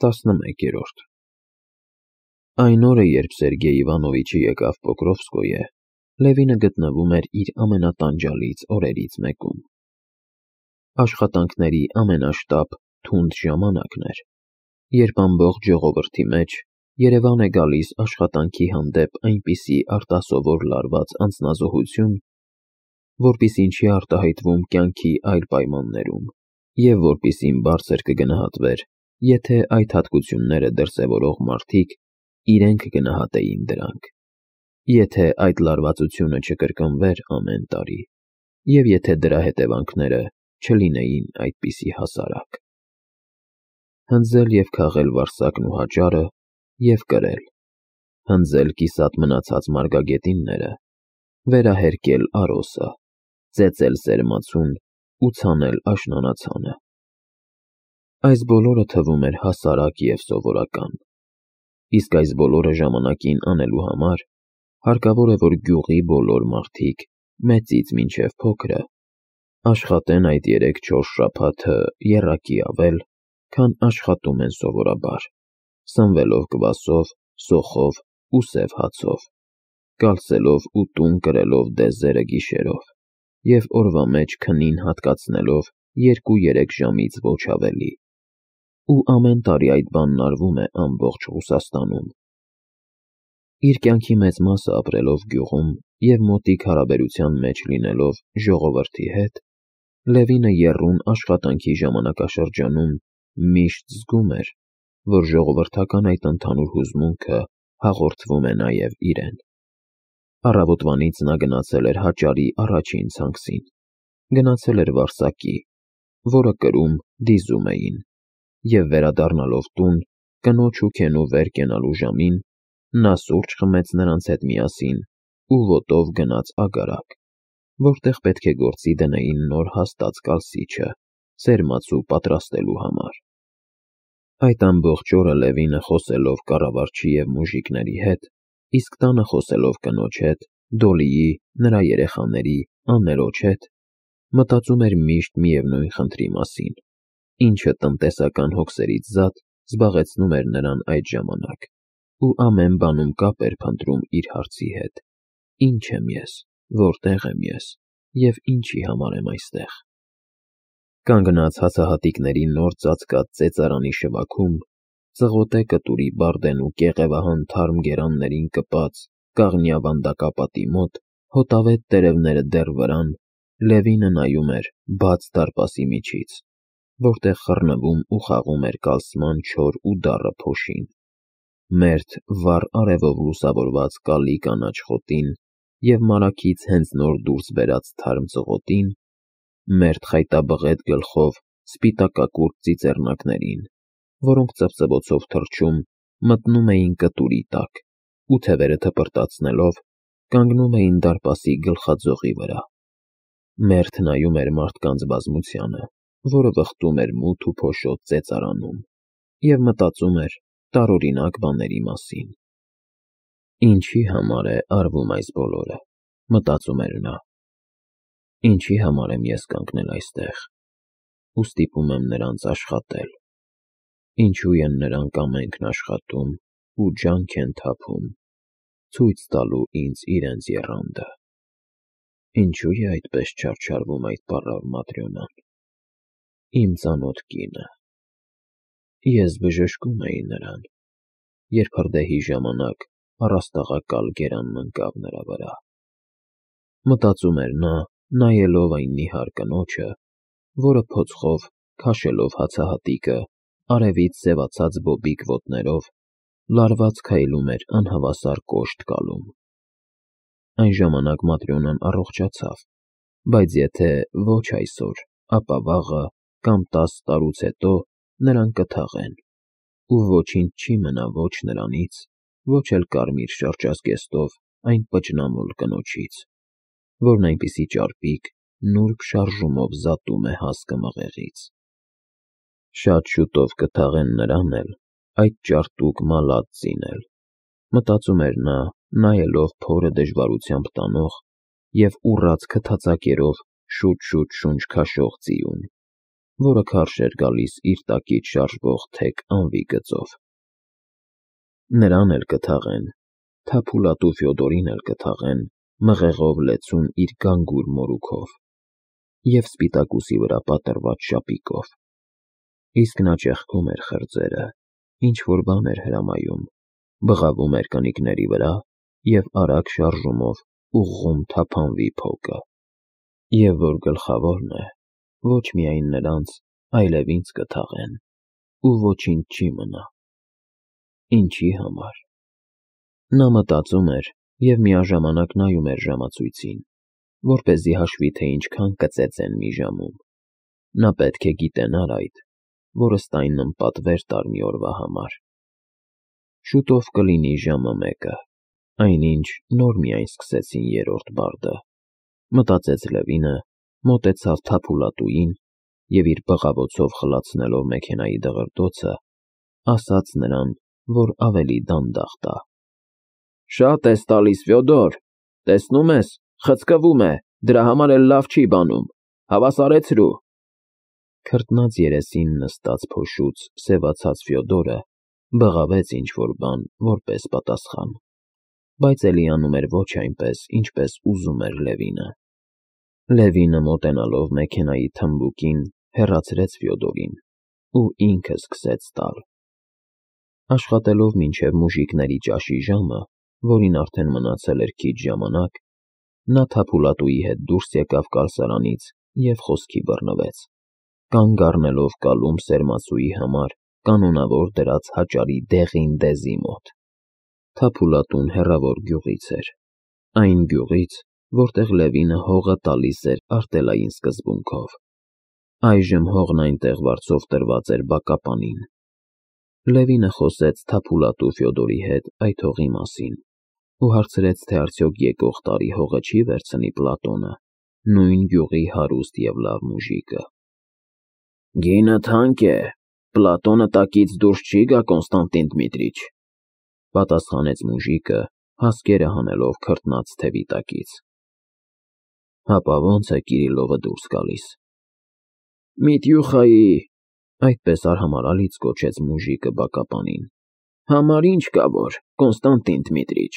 11 Այն օրը, երբ Սերգեյ Իվանովիչը եկավ Պոկրովսկոյե, Լևինը գտնվում էր իր ամենատանջալից օրերից մեկում։ Աշխատանքների ամենաշտապ, թունդ ժամանակն էր, երբ ամբողջ ժողովրդի մեջ Երևան է գալիս աշխատանքի հանդեպ այնպիսի արտասովոր լարված անձնազոհություն, որպիսին չի արտահայտվում կյանքի այլ պայմաններում, և որպիսին բարձր կգնահատվեր, եթե այդ հատկությունները դրսևորող մարդիկ իրենք գնահատեին դրանք, եթե այդ լարվածությունը չկրկնվեր ամեն տարի, և եթե դրա հետևանքները չլինեին այդպիսի հասարակ։ Հնձել և քաղել Վարսակն ու Հաճարը և կրել, հնձել կիսատ մնացած մարգագետինները, վերահերկել Արոսը, ծեծել սերմացուն ու ցանել աշնանացանը։ Այս բոլորը թվում էր հասարակ և սովորական, իսկ այս բոլորը ժամանակին անելու համար հարկավոր է, որ գյուղի բոլոր մարդիկ, մեծից մինչև փոքրը, աշխատեն այդ 3-4 շաբաթը եռակի ավել, քան աշխատում են սովորաբար, սնվելով կվասով, սոխով ու սև հացով, կալսելով ու տուն կրելով դեզերը գիշերով և օրվա մեջ քնին հատկացնելով 2-3 ժամից ոչ ավելի, ու ամեն տարի այդ բանն արվում է ամբողջ Ռուսաստանում։ Իր կյանքի մեծ մասը ապրելով գյուղում և մոտիկ հարաբերության մեջ լինելով ժողովրդի հետ, Լևինը եռուն աշխատանքի ժամանակաշրջանում միշտ զգում էր, որ ժողովրդական այդ ընդհանուր հուզմունքը հաղորդվում է նաև իրեն։ Առավոտվանից նա գնացել էր Հաճարի առաջին ցանքսին, գնացել էր Վարսակի, որը կրում, դիզում էին, և վերադառնալով տուն, կնոջ ու Քենու վեր կենալու ժամին, նա սուրճ խմեց նրանց հետ միասին ու ոտով գնաց Ագարակ, որտեղ պետք է գործի դնեին նոր հաստած կալսիչը, սերմացու պատրաստելու համար։ Այդ ամբողջ օրը Լևինը խոսելով կառավարչի և մուժիկների հետ, իսկ տանը խոսելով կնոջ հետ, Դոլիի, նրա երեխաների, աններոջ հետ, մտածում էր միշտ միևնույն խնդրի մասին, ինչը տնտեսական հոգսերից զատ զբաղեցնում էր նրան այդ ժամանակ, ու ամեն բանում կապ էր փնտրում իր հարցի հետ. Ինչ եմ ես, որտեղ եմ ես և ինչի համար եմ այստեղ։ Կանգնած հացահատիկների նոր ծածկած ծեծարանի շվաքում, ծղոտե կտուրի բարդեն ու կեղևահան թարմ գերաններին կպած կաղնյա վանդակապատի մոտ, հոտավետ տերևները դեռ վրան, Լևինը նայում էր բաց դարպասի միջից, որտեղ խռնվում ու խաղում էր կալսման չոր ու դառը փոշին, մերթ վառ արևով լուսավորված կալի կանաչ խոտին և մարագից հենց նոր դուրս բերած թարմ ծղոտին, մերթ խայտաբղետ գլխով սպիտակակուրտ ծիծեռնակներին, որոնք ծվծվոցով թռչում, մտնում էին կտուրի տակ ու թևերը թպրտացնելով, կանգնում էին դարպասի գլխաձողի վրա, մերթ նայում էր մարդկանց բազմությանը, որը վխտում էր մութ ու փոշոտ ծեծարանում, և մտածում էր տարօրինակ բաների մասին։ Ինչի համար է արվում այս բոլորը, մտածում էր նա։ Ինչի համար եմ ես կանգնել այստեղ ու ստիպում եմ նրանց աշխատել, ինչու են նրանք ամենքն աշխատում ու ջանք են թափում, ցույց տալու ինձ իրենց եռանդը։ Ինչու է այդպես չարչարվում այդ պառավ Маտրյոնան, իմ ծանոթ կինը։ Ես բժշկում էի նրան, երբ հրդեհի ժամանակ առաստաղակալ գերանն ընկավ նրա վրա։ Մտածում էր նա, նայելով այն նիհար կնոջը, որը փոցխով, քաշելով հացահատիկը, արևից սևացած բոբիկ ոտներով, լարված քայլում էր անհավասար կոշտ կալում։ Այն ժամանակ Маտրյոնան առողջացավ, բայց եթե ոչ այսօր, ապա վաղը կամ 10 տարուց հետո նրան կթաղեն, ու ոչինչ չի մնա ոչ նրանից, ոչ էլ կարմիր շրջազգեստով այն պճնամոլ կնոջից, որն այնպիսի ճարպիկ, նուրբ շարժումով զատում է հասկը մղեղից։ Շատ շուտով կթաղեն նրան էլ, այդ ճարտուկ Մալածցին էլ, մտածում էր նա, նայելով փորը դժվարությամբ տանող և ուռած քթածակերով շուտ-շուտ շունչ քաշող ձիուն, որը քարշ էր գալիս իր տակից շարժվող թեք անվի գծով։ Նրան էլ կթաղեն, Թափուլատու Ֆյոդորին էլ կթաղեն, մղեղով լեցուն իր գանգուր մորուքով և սպիտակուսի վրա պատրված շապիկով։ Իսկ նա ճեղքում էր խրձերը, ինչ-որ բան էր հրամայում, բղավում էր կնիկների վրա և արագ շարժումով ուղղում թափանվի փոկը։ Եվ որ գլխավորն է, ոչ միայն նրանց, այլև ինձ կթաղեն, ու ոչինչ չի մնա։ Ինչի համար։ Նա մտածում էր և միաժամանակ նայում էր ժամացույցին, որպեսզի հաշվի, թե ինչքան կծեծեն մի ժամում։ Նա պետք է գիտենար այդ, որ ըստ այնն պատվեր տար մի օրվա համար։ Շուտով կլինի ժամը 1, այնինչ նոր միայն սկսեցին երրորդ բարդը, մտածեց Լևինը, մոտեցավ Թափուլատուին և իր բղավոցով խլացնելով մեքենայի դղրդոցը, ասաց նրան, որ ավելի դանդաղ տա։ Շատ ես տալիս, Ֆյոդոր, տեսնում ես, խցկվում է, դրա համար էլ լավ չի բանում, հավասարեցրու։ Քրտնած երեսին նստած փոշուց սևացած Ֆյոդորը բղավեց ինչ-որ բան որպես պատասխան, բայց էլի անում էր ոչ այնպես, ինչպես ուզում էր Լևինը։ Լևինը մոտենալով մեքենայի թմբուկին հեռացրեց Ֆյոդորին ու ինքը սկսեց տալ։ Աշխատելով մինչև մուժիկների ճաշի ժամը, որին արդեն մնացել էր քիչ ժամանակ, նա Թափուլատուի հետ դուրս եկավ կալսարանից և խոսքի բռնվեց, կանգ առնելով կալում սերմացուի համար կանոնավոր դրած հաճարի դեղին դեզի մոտ։ Թափուլատուն հեռավոր գյուղից էր, այն գյուղից, որտեղ Լևինը հողը տալիս էր արտելային սկզբունքով։ Այժմ հողն այնտեղ վարձով տրված էր բակապանին։ Լևինը խոսեց Թափուլատու Ֆյոդորի հետ այդ հողի մասին ու հարցրեց, թե արդյոք եկող տարի հողը չի վերցնի Պլատոնը, նույն գյուղի հարուստ և լավ մուժիկը։ Գինը թանկ է, Պլատոնը տակից դուրս չի գա, Կոնստանտին Դմիտրիչ, պատասխանեց մուժիկը, հասկերը հանելով քրտնած թևի տակից։ Հապա ո՞նց է Կիրիլովը դուրս գալիս։ Միտյուխայի, այդպես արհամարհալից կոչեց մուժիկը բակապանին, համար ինչ կա որ, Կոնստանտին Դմիտրիչ։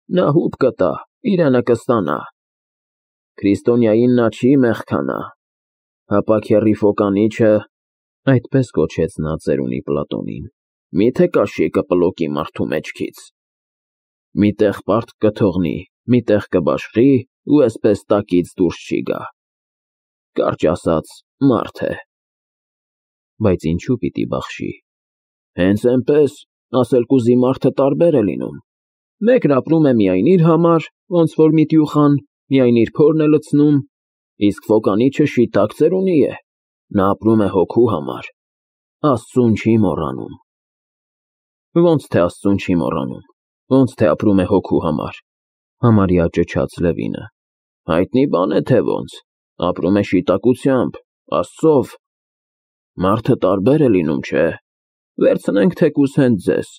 Նա հուպ կտա, իրենը կստանա։ Քրիստոնյային նա չի մեղքանա, հապա քեռի Ֆոկանիչը, այդպես կոչեց նա ծերունի Պլատոնին, միթե կաշի կպլոկի մարդու մեջքից։ Մի տեղ պարտք կթողնի, մի տեղ կբաշխի ու էսպես տակից դուրս չի գա։ Կարճ ասած, մարդ է։ Բայց ինչու պիտի բախշի։ Հենց այնպես, ասել կուզի մարդը տարբեր է լինում։ Մեկն ապրում է միայն իր համար, ոնց որ Միտյուխան, միայն իր փորն է լցնում, իսկ Ֆոկանիչը շիտակ ծերունի է, նա ապրում է հոգու համար, Աստծուն չի մոռանում։ Ոնց թե Աստծուն չի մոռանում, ոնց թե ապրում է հոգու համար, համարյա ճչաց Լևինը։ Հայտնի բան է թե ոնց, ապրում է շիտակությամբ, Աստծով։ Մարդը տարբեր է լինում, չէ։ Վերցնենք թեկուզ հենց ձեզ,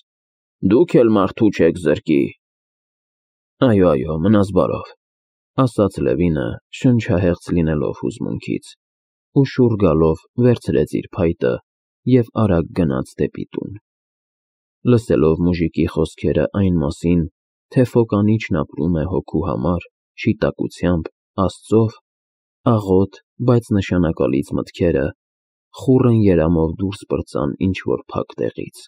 դուք էլ մարդու չեք զրկի։ Այո, մնաս բարով, ասաց Լևինը, շնչահեղձ լինելով հուզմունքից, ու շուռ գալով վերցրեց իր փայտը և արագ գնաց դեպի տուն։ Լսելով մուժիկի խոսքերը այն մասին, թե Ֆոկանիչն ապրում է հոգու համար, շիտակությամբ, Աստծով, աղոտ, բայց նշանակալից մտքերը խուռն երամով դուրս պրծան ինչ-որ փակ տեղից,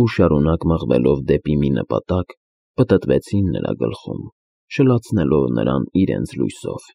ու շարունակ մղվելով դեպի մի նպատակ, պտտվեցին նրա գլխում, շլացնելով նրան իրենց լույսով։